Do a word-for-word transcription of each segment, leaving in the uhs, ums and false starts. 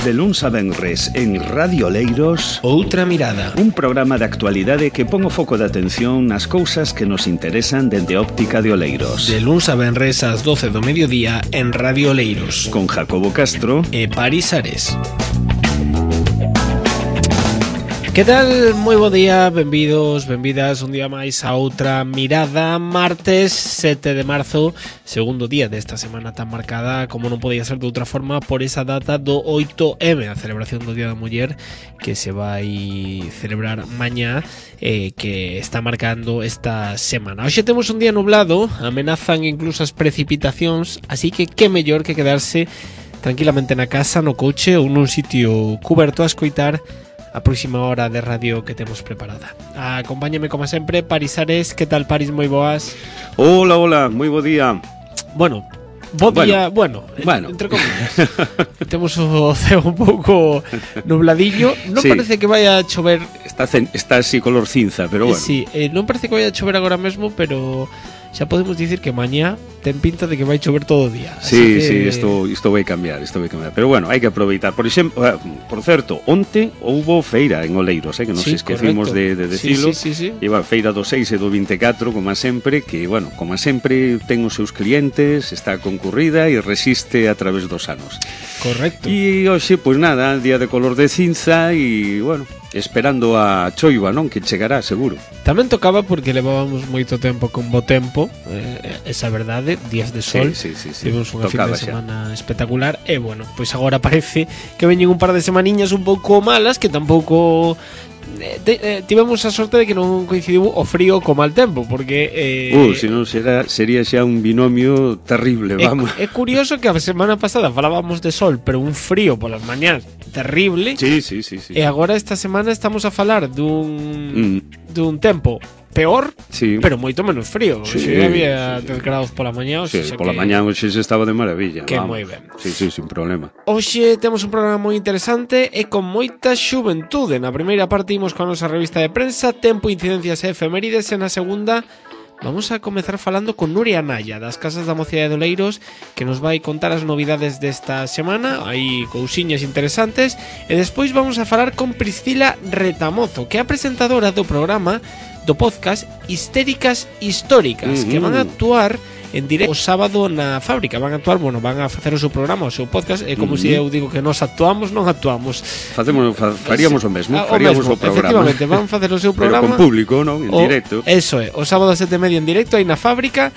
De luns a venres en Radio Oleiros, Outra Mirada, un programa de actualidade que pon o foco de atención nas cousas que nos interesan dende óptica de Oleiros. De luns a venres ás doce do mediodía en Radio Oleiros, Con Jacobo Castro e Paris Ares. Que tal? Moi bo día, benvidos, benvidas un día máis a Outra Mirada. Martes sete de marzo, segundo día desta semana tan marcada, como non podía ser de outra forma, por esa data do oito eme, a celebración do Día da Muller, que se vai celebrar mañá, eh, que está marcando esta semana. Hoxe temos un día nublado, amenazan incluso as precipitacións, así que que mellor que quedarse tranquilamente na casa, no coche ou nun sitio cuberto a escoitar a próxima hora de radio que temos preparada. Acompáñame como sempre, Paris Ares. Que tal, Paris? Moi boas. Hola, hola, moi bo día. Bueno, bo día, bueno, bueno, bueno. entre comillas. Temos o ceo un pouco nubladillo. Non sí. Parece que vaya a chover. Está, está así color cinza, pero bueno. Sí, eh, non parece que vaya a chover agora mesmo, pero xa podemos dicir que mañá ten pinta de que vai chover todo o día. Sí, que... sí, isto, isto vai cambiar, isto vai cambiar. Pero bueno, hai que aproveitar. Por exemplo, por certo, onte houbo feira en Oleiros, eh, que nos sí, esquecimos de, de decilo. Sí, sí, sí, sí. E va, feira do seis e do vinte e catro, como sempre, que, bueno, como sempre ten os seus clientes, está concurrida e resiste a través dos anos. Correcto. E hoxe, pois nada, día de color de cinza e, bueno, esperando a choiva, non? Que chegará, seguro. Tamén tocaba porque levábamos moito tempo con bo tempo, eh, esa verdade, días de sol, sí, sí, sí, sí. tivemos unha fin de semana xa espectacular, e bueno, pois agora parece que veñen un par de semaniñas un pouco malas, que tampouco eh, eh, tivemos a sorte de que non coincidiu o frío co mal tempo, porque eh, uh, se non será, sería xa un binomio terrible, vamos. É, é curioso que a semana pasada falábamos de sol, pero un frío polas mañás terrible. Sí, sí, sí, sí. E agora esta semana estamos a falar dun mm. dun tempo peor, sí, pero moito menos frío. Sí, si había sí, dez grados pola mañá, sí, pola que... mañá hoxe se estaba de maravilla. Que moi ben. Sí, sí, sin problema. Hoxe temos un programa moi interesante e con moita xuventude. Na primeira parte imos con a nosa revista de prensa, Tempo, Incidencias e Efemérides, e na segunda vamos a comezar falando con Nuria Naya, das Casas da Mocidade de Oleiros, que nos vai contar as novidades desta semana. Hai cousiñas interesantes. E despois vamos a falar con Priscila Retamozo, que é a presentadora do programa do podcast Histéricas Históricas, uh-huh, que van a actuar en directo o sábado na fábrica. Van a actuar, bueno, van a facer o seu programa, o seu podcast. É como uh-huh. se eu digo que nós actuamos, non actuamos. Facemos, fa, faríamos o mesmo, o faríamos mesmo, o programa. Efectivamente, van facer o seu programa. Pero con público, non? En o, directo. Eso é, o sábado a sete e media en directo aí na fábrica.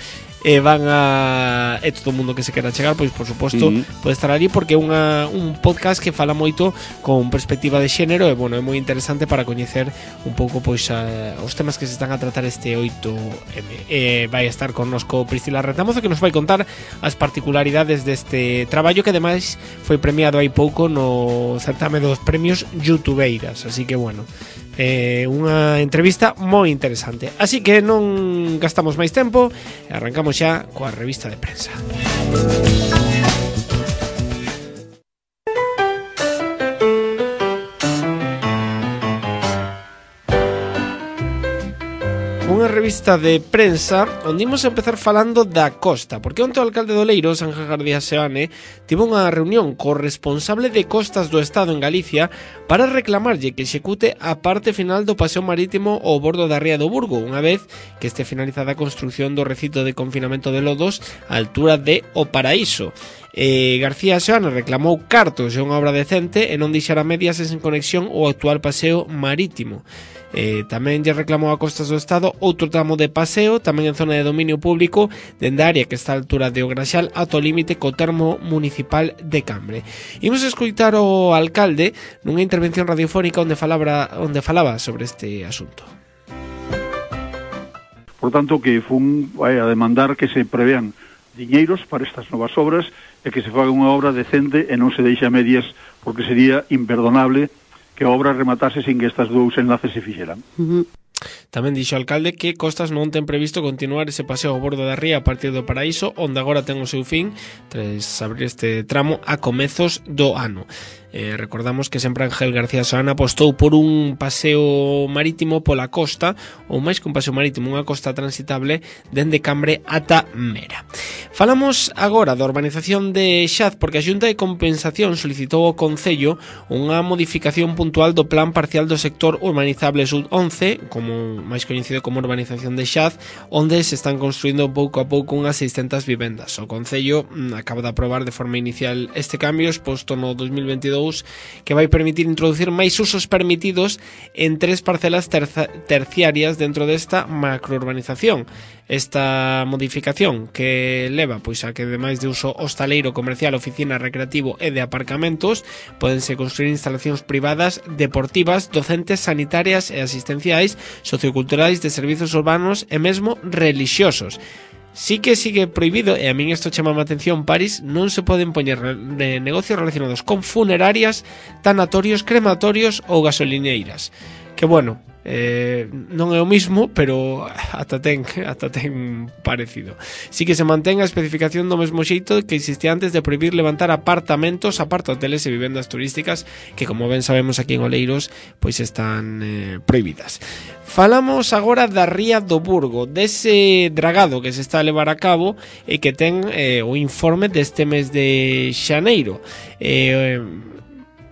E van a... E todo o mundo que se quera chegar, pois por suposto uh-huh. pode estar ali, porque é unha, un podcast que fala moito con perspectiva de xénero. E bueno, é moi interesante para coñecer un pouco pois a, os temas que se están a tratar este oito eme. E vai estar connosco Priscila Retamozo, que nos vai contar as particularidades deste traballo, que ademais foi premiado hai pouco no certame dos premios Youtubeiras. Así que bueno, Eh, unha entrevista moi interesante. Así que non gastamos máis tempo e arrancamos xa coa revista de prensa. Unha revista de prensa onde imos empezar falando da costa, porque onte o alcalde de Oleiros, Ángel García Seoane, tivo unha reunión co responsable de costas do Estado en Galicia para reclamarlle que execute a parte final do paseo marítimo ao bordo da ría do Burgo, unha vez que este finalizada a construción do recinto de confinamento de Lodos á altura de O Paraíso. Eh, García Seoane reclamou cartos e unha obra decente e non deixar a medias e sen conexión o actual paseo marítimo. Eh, tamén lle reclamou a costas do Estado outro tramo de paseo, tamén en zona de dominio público, dende a área que está a altura de O Graxal ata o límite co termo municipal de Cambre. Imos escoitar o alcalde nunha intervención radiofónica onde falaba, onde falaba sobre este asunto. Por tanto, que fun vai a demandar que se prevean diñeiros para estas novas obras e que se faga unha obra decente e non se deixe a medias, porque sería imperdonable que a obra rematase sin que estas dous enlaces se fixeran. Uh-huh. Tamén dixo o alcalde que Costas non ten previsto continuar ese paseo ao bordo da ría a partir do Paraíso, onde agora ten o seu fin tras abrir este tramo a comezos do ano. Eh, recordamos que sempre Ángel García Solana apostou por un paseo marítimo pola costa, ou máis que un paseo marítimo, unha costa transitable dende Cambre ata Mera. Falamos agora da urbanización de Xaz, porque a Xunta de Compensación solicitou ao Concello unha modificación puntual do plan parcial do sector urbanizable Sud once, como máis coñecido como urbanización de Xaz, onde se están construindo pouco a pouco unhas seiscentas vivendas. O Concello mm, acaba de aprobar de forma inicial este cambio exposto no dos mil veintidous, que vai permitir introducir máis usos permitidos en tres parcelas terza, terciarias dentro desta macrourbanización. Esta modificación que leva pois a que ademais de uso hostaleiro, comercial, oficina, recreativo e de aparcamentos podense construir instalacións privadas, deportivas, docentes, sanitarias e asistenciais, socioculturais, de servizos urbanos e mesmo relixiosos. Sí que sigue prohibido, e a min isto chama a atención, París, non se poden poñer de negocios relacionados con funerarias, tanatorios, crematorios ou gasolineiras. Que bueno, eh, non é o mismo, pero ata ten, ata ten parecido. Sí que se mantén a especificación do mesmo xeito que existía antes de prohibir levantar apartamentos, apartahoteles e vivendas turísticas, que como ben sabemos aquí en Oleiros, pois están eh, prohibidas. Falamos agora da Ría do Burgo, dese dragado que se está a levar a cabo e que ten eh, o informe deste mes de xaneiro. Eh,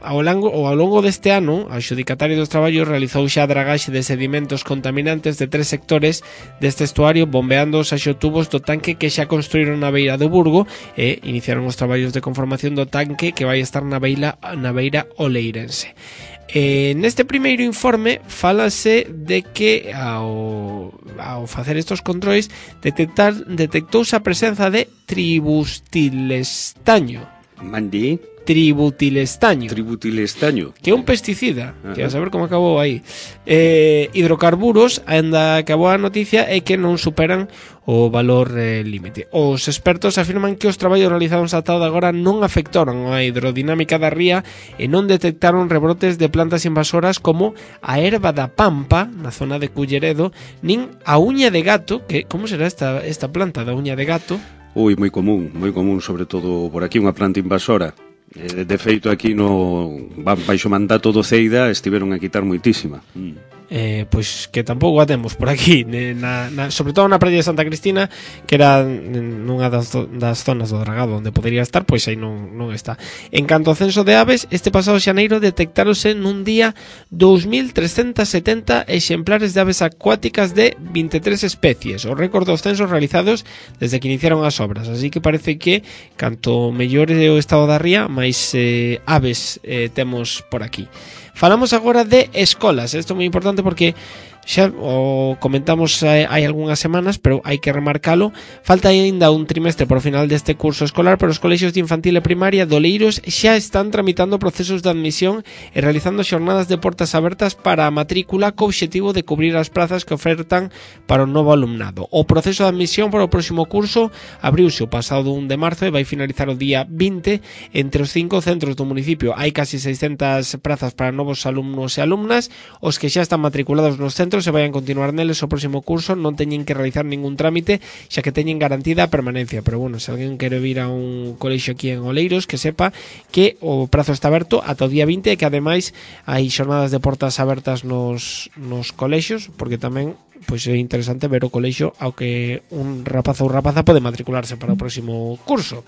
Ao longo, ao longo deste ano, a Xudicataria dos Traballos realizou xa a dragaxe de sedimentos contaminantes de tres sectores deste estuario, bombeando os axotubos do tanque que xa construíron na beira do Burgo e iniciaron os traballos de conformación do tanque que vai estar na beira, na beira oleirense. Eh, neste primeiro informe fálase de que ao, ao facer estos controis detectar, detectouse a presenza de tribustilestaño. Mandi? Tributilestaño. Tributilestaño. Que é un pesticida. Ajá. Que a saber como acabou aí. Eh, hidrocarburos, ainda que a boa noticia é que non superan o valor eh, límite. Os expertos afirman que os traballos realizados ata agora non afectaron a hidrodinámica da ría e non detectaron rebrotes de plantas invasoras como a erva da pampa na zona de Culleredo, nin a uña de gato, que como será esta, esta planta da uña de gato? Ui, moi común, moi común, sobre todo por aquí, unha planta invasora. De feito, aquí no baixo mandato do Ceida estiveron a quitar moitísima. Mm. Eh, pois que tampouco a temos por aquí, na, na, sobre todo na praia de Santa Cristina, que era nunha das, das zonas do dragado onde podería estar, pois aí non, non está. En canto ao censo de aves, este pasado xaneiro detectáronse nun día dous mil trescentos setenta exemplares de aves acuáticas de vinte e tres especies, o récord dos censos realizados desde que iniciaron as obras, así que parece que canto mellor é o estado da ría, máis eh, aves eh, temos por aquí. Falamos agora de escolas. Isto é moi importante porque xa o comentamos hai, hai algunhas semanas, pero hai que remarcalo. Falta aínda un trimestre por final deste curso escolar, pero os colexios de infantil e primaria de Oleiros xa están tramitando procesos de admisión e realizando xornadas de portas abertas para a matrícula co obxectivo de cubrir as plazas que ofertan para o novo alumnado. O proceso de admisión para o próximo curso abriuse o pasado un de marzo e vai finalizar o día vinte. Entre os cinco centros do municipio hai casi seiscentas prazas para novos alumnos e alumnas. Os que xa están matriculados nos centros se vayan continuar neles o próximo curso non teñen que realizar ningún trámite, xa que teñen garantida a permanencia. Pero bueno, se alguén quere vir a un colexio aquí en Oleiros, que sepa que o prazo está aberto ata o día vinte e que ademais hai xornadas de portas abertas nos, nos colexios, porque tamén pois é interesante ver o colexio ao que un rapaz ou rapaza pode matricularse para o próximo curso.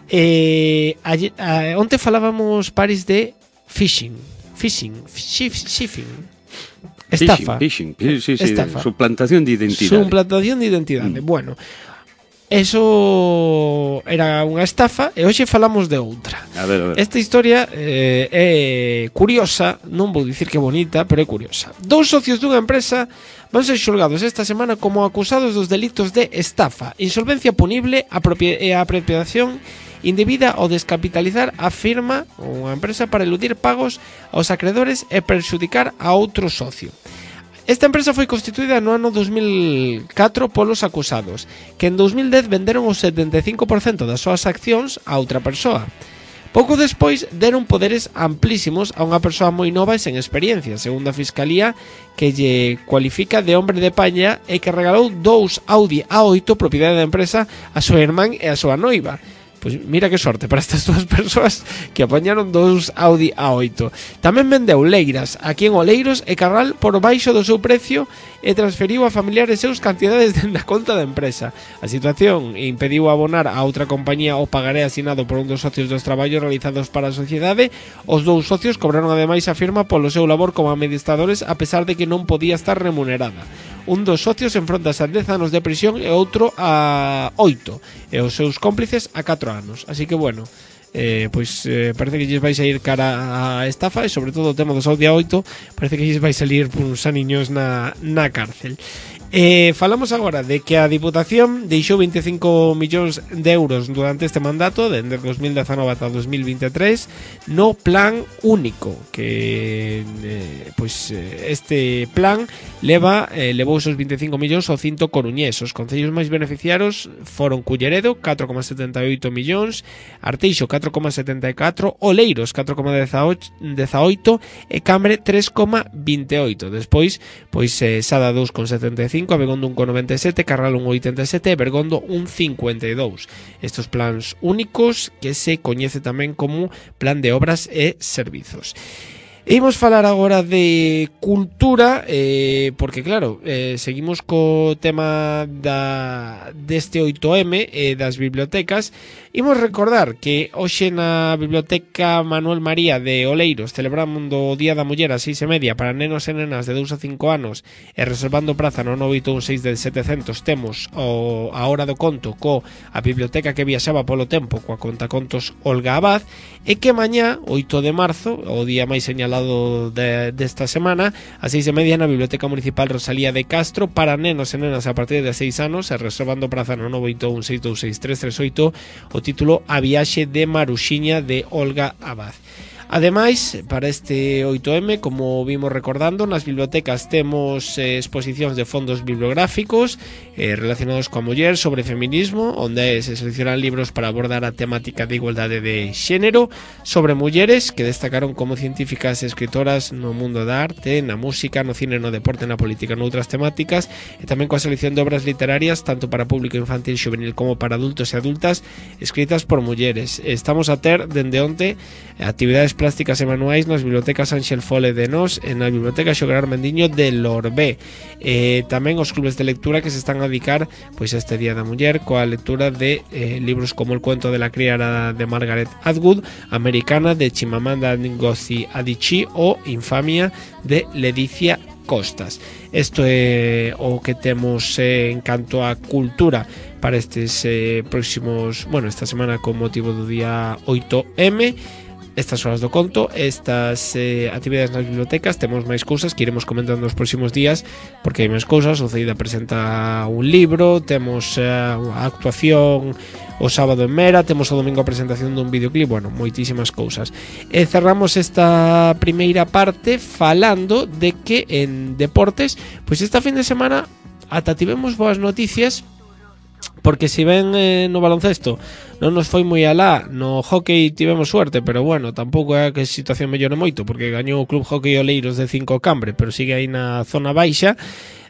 Eh, a, a, onte falábamos, Paris, de phishing. Phishing, shifting. Estafa. Phishing, phishing. Sí, sí, sí. Estafa. Suplantación de identidade. Suplantación de identidade. Mm. Bueno, eso era unha estafa e hoxe falamos de outra. A ver, a ver. Esta historia eh, é curiosa, non vou dicir que bonita, pero é curiosa. Dous socios dunha empresa van ser xulgados esta semana como acusados dos delitos de estafa, insolvencia punible e apropiación indebida ou descapitalizar a firma ou a empresa para eludir pagos aos acreedores e perxudicar a outro socio. Esta empresa foi constituída no ano dos mil catro polos acusados, que en dos mil dez venderon o setenta e cinco por cento das súas accións a outra persoa. Pouco despois deron poderes amplísimos a unha persoa moi nova e sen experiencia, segundo a Fiscalía, que lle cualifica de hombre de paña e que regalou dous Audi A oito propiedade da empresa a súa irmán e a súa noiva. Pois mira que sorte para estas dúas persoas que apañaron dous Audi A oito. Tamén vendeu Leiras aquí en Oleiros e Carral por baixo do seu precio e transferiu a familiares seus cantidades dende a conta da empresa. A situación impediu abonar a outra compañía o pagaré asinado por un dos socios dos traballos realizados para a sociedade. Os dous socios cobraron ademais a firma polo seu labor como administradores a pesar de que non podía estar remunerada. Un dos socios enfrontase a dez anos de prisión e outro a oito e os seus cómplices a catro anos. Así que bueno, eh, pois eh, parece que lles vais a ir cara a estafa e sobre todo o tema dos Audi A oito parece que lles vais a salir por uns aniños na, na cárcel. Eh, falamos agora de que a Diputación deixou vinte e cinco millóns de euros durante este mandato, dende dos mil dezanove ata dos mil vinte e tres, no plan único, que eh, pois, este plan leva eh, levou esos vinte e cinco millóns ao cinto coruñés. Os concellos máis beneficiados foron Culleredo, catro coma setenta e oito millóns, Arteixo, catro coma setenta e catro, Oleiros, catro coma dezaoito e Cambre, tres coma vinte e oito. Despois, pois, eh, Sada, dous coma setenta e cinco, a Begondo un coma noventa e sete, Carral un coma oitenta e sete e Bergondo un coma cincuenta e dous. Estos plans únicos que se coñece tamén como Plan de Obras e Servizos. E imos falar agora de cultura, eh, porque claro, eh, seguimos co tema da deste oito eme e eh, das bibliotecas. Imos recordar que hoxe na Biblioteca Manuel María de Oleiros celebramos o Día da Muller ás seis e media para nenos e nenas de dous a cinco anos e reservando praza no nove oito un seis de setecentos temos o, a Hora do Conto co a biblioteca que viaxaba polo tempo coa contacontos Olga Abad e que mañá, oito de marzo, o día máis señalado de, desta semana, ás seis e media na Biblioteca Municipal Rosalía de Castro para nenos e nenas a partir de seis anos e reservando praza no nove oito un seis dous seis tres tres oito o título A Viaxe de Maruxiña de Olga Abad. Ademais, para este oito eme, como vimos recordando, nas bibliotecas temos eh, exposicións de fondos bibliográficos eh, relacionados coa muller sobre feminismo, onde se seleccionan libros para abordar a temática de igualdade de xénero, sobre mulleres que destacaron como científicas e escritoras no mundo da arte, na música, no cine, no deporte, na política, noutras temáticas, e tamén coa selección de obras literarias tanto para público infantil, xuvenil como para adultos e adultas escritas por mulleres. Estamos a ter dende onte actividades plásticas e manuais nas bibliotecas Ángel Fole de Nos e na biblioteca Xogar Mendiño de Lorbé. Eh, tamén os clubes de lectura que se están a dedicar pois a este Día da Muller coa lectura de eh, libros como El cuento de la criada de Margaret Atwood, Americana de Chimamanda Ngozi Adichie ou Infamia de Leticia Costas. Isto é o que temos eh, en canto a cultura para estes eh, próximos, bueno, esta semana con motivo do día oito eme. Estas horas do conto, estas eh, actividades nas bibliotecas, temos máis cousas que iremos comentando nos próximos días porque hai máis cousas. O Ceida presenta un libro, temos eh, a actuación o sábado en Mera, temos o domingo a presentación dun videoclip, bueno, moitísimas cousas. E cerramos esta primeira parte falando de que en deportes, pois esta fin de semana ata tivemos boas noticias. Porque se ven eh, no baloncesto non nos foi moi alá, no hockey tivemos suerte, pero bueno, tampouco é que a situación mellore moito, porque gañou o Club Hockey Oleiros de cinco Cambre, pero sigue aí na zona baixa.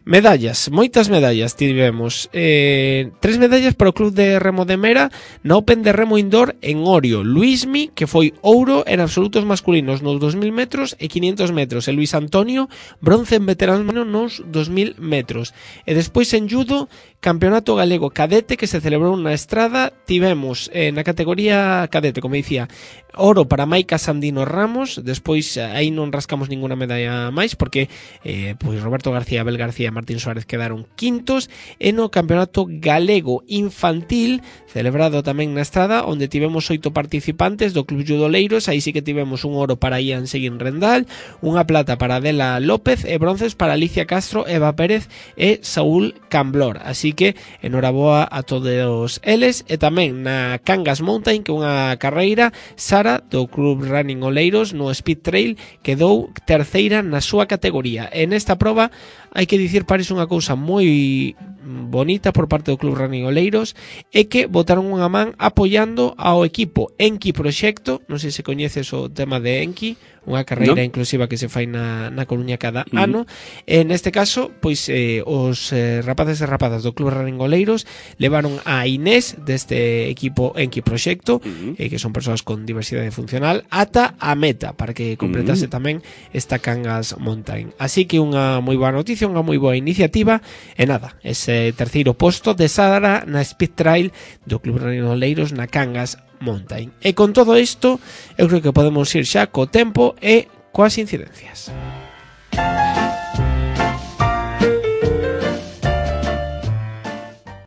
Medallas, moitas medallas tivemos, eh, tres medallas para o Club de Remo de Mera na Open de Remo Indoor en Orio. Luismi, que foi ouro en absolutos masculinos nos dos mil metros e quinientos metros, e Luis Antonio, bronce en veteranos nos dos mil metros. E despois en judo, Campeonato Galego Cadete que se celebrou na Estrada. Tivemos eh, na categoría cadete, como dicía, oro para Maica Sandino Ramos. Despois aí non rascamos ninguna medalla máis porque eh, pois Roberto García, Abel García e Martín Suárez quedaron quintos. E no Campeonato Galego Infantil celebrado tamén na Estrada, onde tivemos oito participantes do Club Judo Oleiros. Aí sí que tivemos un oro para Ian Seguín Rendal, unha plata para Adela López e bronces para Alicia Castro, Eva Pérez e Saúl Camblor. Así que enhoraboa a todos eles. E tamén na Cangas Mountain, que é unha carreira, Sara do Club Running Oleiros no Speed Trail quedou terceira na súa categoría. En esta proba hai que dicir, Paris, unha cousa moi bonita por parte do Club Running Oleiros é que botaron unha man apoiando ao equipo Enki Proxecto. Non sei se coñeces o tema de Enki, unha carreira no. inclusiva que se fai na, na Coruña cada uh-huh. ano. E neste caso, pois eh, os eh, rapaces e rapazas do Club Running Oleiros levaron a Inés deste equipo Enki Proxecto, uh-huh. eh, que son persoas con diversidade funcional, ata a meta, para que completase uh-huh. tamén esta Cangas Mountain. Así que unha moi boa noticia, unha moi boa iniciativa, e nada, ese terceiro posto de Sara na Speed Trail do Club Running Oleiros na Cangas Mountain. E con todo isto, eu creo que podemos ir xa co tempo e coas incidencias.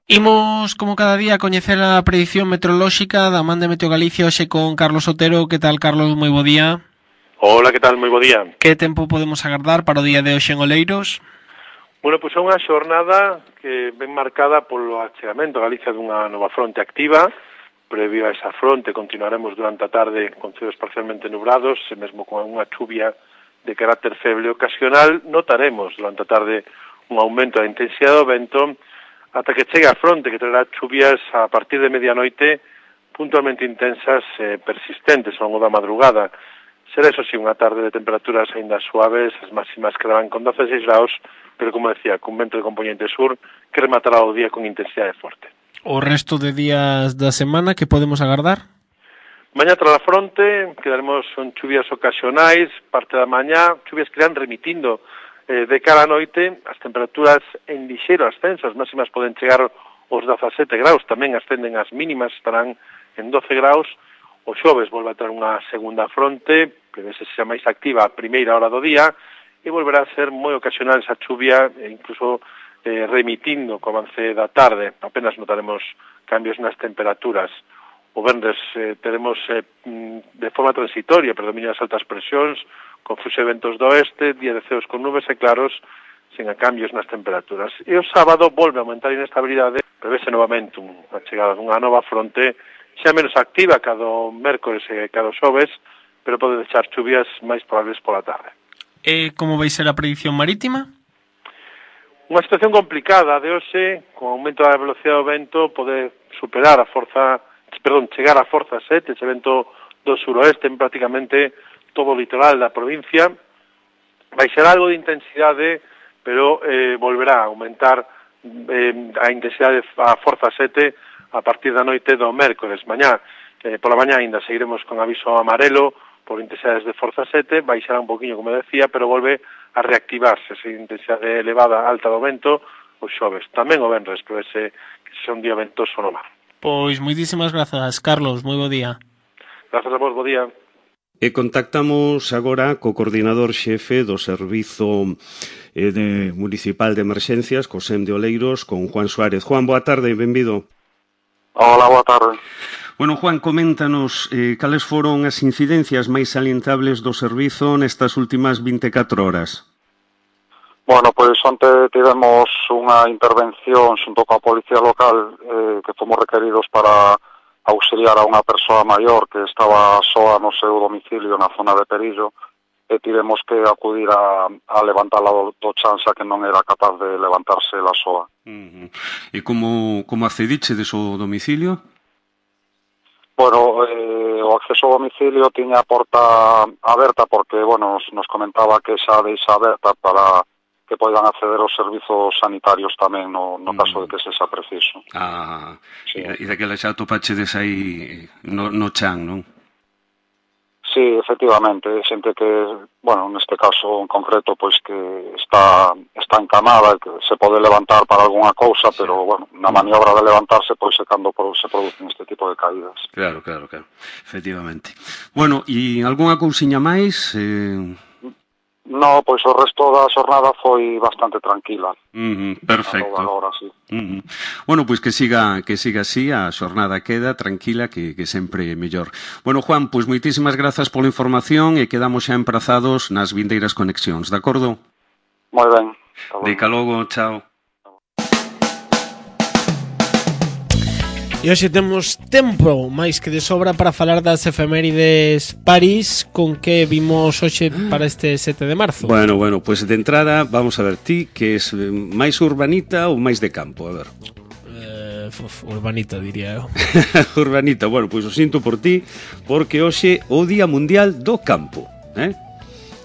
Imos, como cada día, a coñecer a predición meteorolóxica da man de Meteo Galicia hoxe con Carlos Otero. Que tal, Carlos? Moi bo día. Hola, que tal? Moi bo día. Que tempo podemos agardar para o día de hoxe en Oleiros? Bueno, pois é unha xornada que ven marcada polo achegamento a Galicia dunha nova fronte activa. Previo a esa fronte continuaremos durante a tarde con ceos parcialmente nubrados, e mesmo con unha chuvia de carácter feble ocasional. Notaremos durante a tarde un aumento da intensidade do vento ata que chegue a fronte, que traerá chuvias a partir de medianoite puntualmente intensas e persistentes ao longo da madrugada. Será, eso sí, unha tarde de temperaturas aínda suaves, as máximas quedarán con doce graus, pero, como decía, con vento de componente sur que rematará o día con intensidade forte. O resto de días da semana, que podemos agardar? Mañá tras a fronte quedaremos con chuvias ocasionais, parte da mañá, chuvias que irán remitindo eh, de cara a noite, as temperaturas en lixeiro ascenso, as máximas poden chegar aos dezasete graus, tamén ascenden as mínimas, estarán en doce graus. O xoves volve a ter unha segunda fronte, prevese xa máis activa a primeira hora do día, e volverá a ser moi ocasional esa chuvia, e incluso eh, remitindo co avance da tarde. Apenas notaremos cambios nas temperaturas. O venres eh, teremos eh, de forma transitoria predominio das altas presións, con fluxo de ventos do oeste, día de ceos con nubes e claros, sen a cambios nas temperaturas. E o sábado volve a aumentar a inestabilidade, prevese novamente unha chegada dunha nova fronte, xa menos activa cada mércores e cada xoves, pero pode deixar chuvias máis probables pola tarde. E como vai ser a predición marítima? Unha situación complicada de hoxe, con aumento da velocidade do vento, pode superar a forza, perdón, chegar a forza sete, ese vento do suroeste en prácticamente todo o litoral da provincia. Vai ser algo de intensidade, pero eh, volverá a aumentar eh, a intensidade a forza sete a partir da noite do mércores. Mañá, eh, pola mañá ainda seguiremos con aviso amarelo por intensidades de forza sete, baixará un poquinho, como decía, pero volve a reactivarse esa intensidade elevada alta do vento os xoves. Tamén o venres, pero ese que sea un día ventoso no mar. Pois moitísimas grazas, Carlos, moi bo día. Grazas a vos, bo día. E contactamos agora co coordinador xefe do Servizo eh, de Municipal de Emerxencias, co SEM de Oleiros, con Juan Suárez. Juan, boa tarde, benvido. Hola, boa tarde. Bueno, Juan, coméntanos eh, cales foron as incidencias máis salientables do servizo nestas últimas vinte e catro horas. Bueno, pois onte tivemos unha intervención xunto coa Policía Local eh, que fomos requeridos para auxiliar a unha persoa maior que estaba soa no seu domicilio na zona de Perillo, e tivemos que acudir a, a levantala do, do chanza, que non era capaz de levantarse la soa. Uh-huh. E como, como accediche de seu domicilio? Bueno, eh, o acceso ao domicilio tiña a porta aberta porque, bueno, nos, nos comentaba que xa deixa aberta para que poidan acceder aos servizos sanitarios tamén no, no caso de que se xa preciso. Ah, sí. E daquela xa topachedes aí no, no chan, non? Sí, efectivamente, xente que, bueno, neste caso en concreto, pois que está está encamada, que se pode levantar para algunha cousa, pero, bueno, na maniobra de levantarse, pois é cando se producen este tipo de caídas. Claro, claro, claro, efectivamente. Bueno, e algunha cousiña máis? Eh... No, pois o resto da xornada foi bastante tranquila. Uh-huh, perfecto. Agora, sí. Uh-huh. Bueno, pois que siga que siga así, a xornada queda tranquila, que, que sempre é mellor. Bueno, Juan, pois moitísimas grazas pola información e quedamos xa emprazados nas vindeiras conexións, de acordo? Moi ben. De ca logo, chao. E hoxe temos tempo máis que de sobra para falar das efemérides París, con que vimos hoxe para este sete de marzo. Bueno, bueno, pues de entrada, vamos a ver, ti que es máis urbanita ou máis de campo, a ver. Eh, uf, urbanita, diría eu. Urbanita, bueno, pois pues o sinto por ti, porque hoxe o Día Mundial do Campo, eh?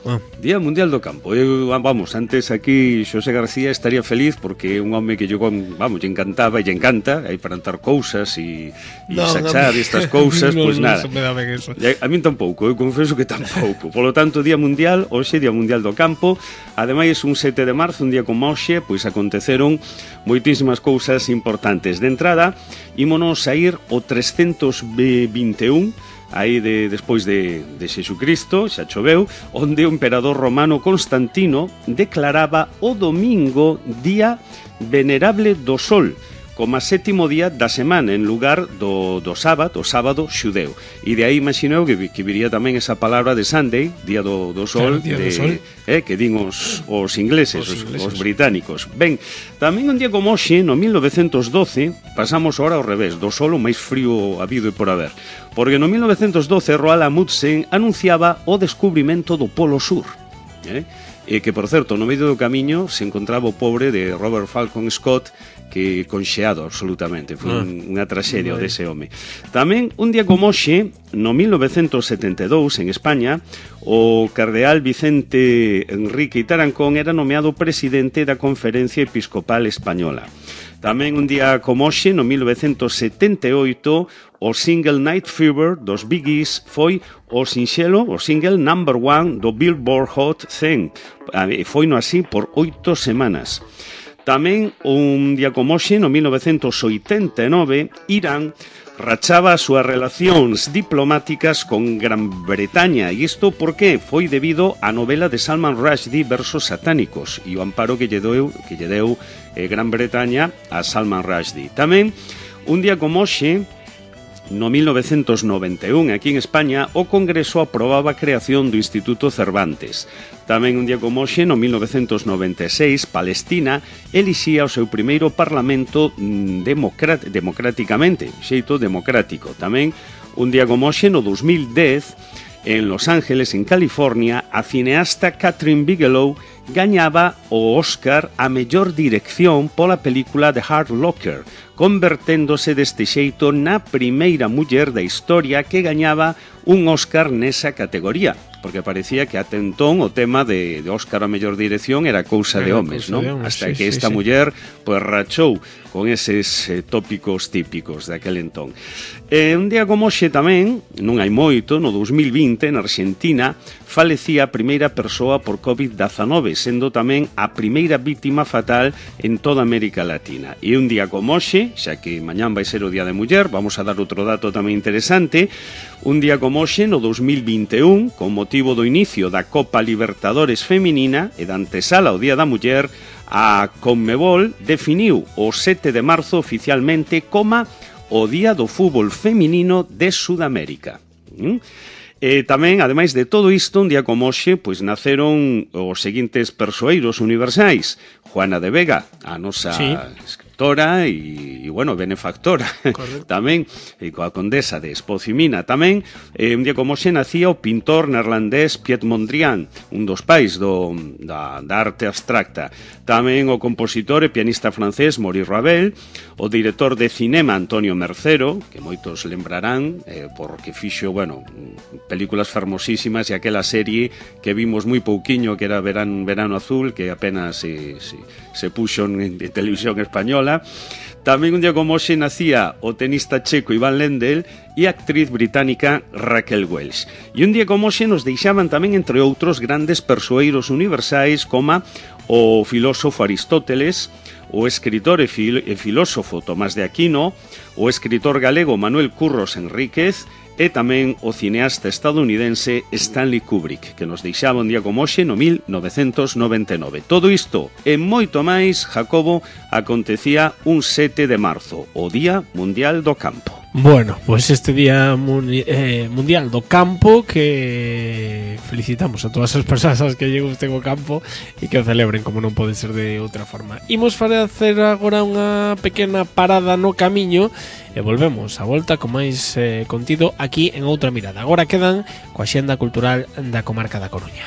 Ah. Día Mundial do Campo. Eu, vamos, antes aquí Xosé García estaría feliz porque é un home que yo, vamos, lle encantaba e lle encanta aí plantar cousas e, e no, saxar no, estas cousas, no, pois pues no, nada. No, me da ben eso. A min tampouco, eu confeso que tampouco. Polo tanto, Día Mundial, hoxe Día Mundial do Campo. Ademais, un sete de marzo, un día como hoxe, pois aconteceron moitísimas cousas importantes. De entrada, ímonos a ir o trescentos vinte e un, aí de, despois de, de Xesucristo, xa choveu, onde o emperador romano Constantino declaraba o domingo día venerable do sol, como a sétimo día da semana en lugar do, do sábado, o sábado xudeu. E de aí imagineu que, que viría tamén esa palabra de Sunday, día do, do sol, claro, día de, do sol. Eh, que din os, os ingleses, os, os, ingleses. os británicos. Ben, tamén un día como hoxe, no mil novecentos doce, pasamos ahora ao revés, do sol o máis frío habido e por haber. Porque no mil novecentos doce Roald Amundsen anunciaba o descubrimento do Polo Sur. Eh? E que, por certo, no medio do camiño se encontraba o pobre de Robert Falcon Scott, que conxeado absolutamente, foi ah, un, unha traxedia no, dese home. Tamén, un día como hoxe, no mil novecentos setenta e dous, en España, o cardeal Vicente Enrique Tarancón era nomeado presidente da Conferencia Episcopal Española. Tamén un día como hoxe, no mil novecentos setenta e oito, o single Night Fever dos Bee Gees foi o sinxelo, o single number one do Billboard Hot cen. E foi no así por oito semanas. Tamén un día como hoxe, no mil novecentos oitenta e nove, Irán rachaba as súas relacións diplomáticas con Gran Bretaña. E isto por que? Foi debido á novela de Salman Rushdie Versos satánicos e o amparo que lle deu, que lle deu eh, Gran Bretaña a Salman Rushdie. Tamén, un día como hoxe, no mil novecentos noventa e un, aquí en España, o Congreso aprobaba a creación do Instituto Cervantes. Tamén un día como hoxe, no mil novecentos noventa e seis, Palestina elixía o seu primeiro parlamento democrat democráticamente, xeito democrático. Tamén un día como hoxe, no dos mil dez, en Los Ángeles, en California, a cineasta Catherine Bigelow gañaba o Óscar a mellor dirección pola película The Hurt Locker, converténdose deste xeito na primeira muller da historia que gañaba un Óscar nesa categoría, porque parecía que ate entón o tema de, de Óscar a mellor dirección era cousa de homes, non? Hasta sí, que esta sí, muller pues, rachou con eses eh, tópicos típicos daquel entón. Eh, un día como hoxe tamén, non hai moito, no dos mil vinte, na Argentina, falecía a primeira persoa por covid dezanove, sendo tamén a primeira vítima fatal en toda América Latina. E un día como hoxe, xa que mañán vai ser o Día de Muller, vamos a dar outro dato tamén interesante, un día como hoxe, no dos mil vinte e un, con motivo do inicio da Copa Libertadores Feminina e da antesala ao Día da Muller, a Conmebol definiu o sete de marzo oficialmente como o Día do Fútbol Feminino de Sudamérica. ¿Mm? E tamén, ademais de todo isto, un día como hoxe, pois naceron os seguintes persoeiros universais. Juana de Vega, a nosa sí. escritora e, e, bueno, benefactora. Tamén, e coa condesa de Espocimina. Tamén, eh, un día como hoxe, nacía o pintor neerlandés Piet Mondrian, un dos pais do, da, da arte abstracta. Tamén o compositor e pianista francés Maurice Ravel, o director de cinema Antonio Mercero, que moitos lembrarán, eh, porque fixo, bueno, películas fermosísimas e aquela serie que vimos moi pouquiño que era Verano, Verano Azul, que apenas se, se, se puxo en, en televisión española. Tamén un día como hoxe nacía o tenista checo Iván Lendl e a actriz británica Raquel Welch. E un día como hoxe nos deixaban tamén, entre outros, grandes persoeiros universais como o filósofo Aristóteles, o escritor e, fil e filósofo Tomás de Aquino, o escritor galego Manuel Curros Enríquez e tamén o cineasta estadounidense Stanley Kubrick, que nos deixaba un día como hoxe no mil novecentos noventa e nove. Todo isto e moito máis, Jacobo, acontecía un sete de marzo, o Día Mundial do Campo. Bueno, pois pues este Día muni eh, Mundial do Campo, que felicitamos a todas as persoas que lle gusten o campo e que o celebren, como non pode ser de outra forma. Imos facer agora unha pequena parada no camiño e volvemos a volta con máis eh, contido aquí en Outra Mirada. Agora quedan coa xenda cultural da comarca da Coruña.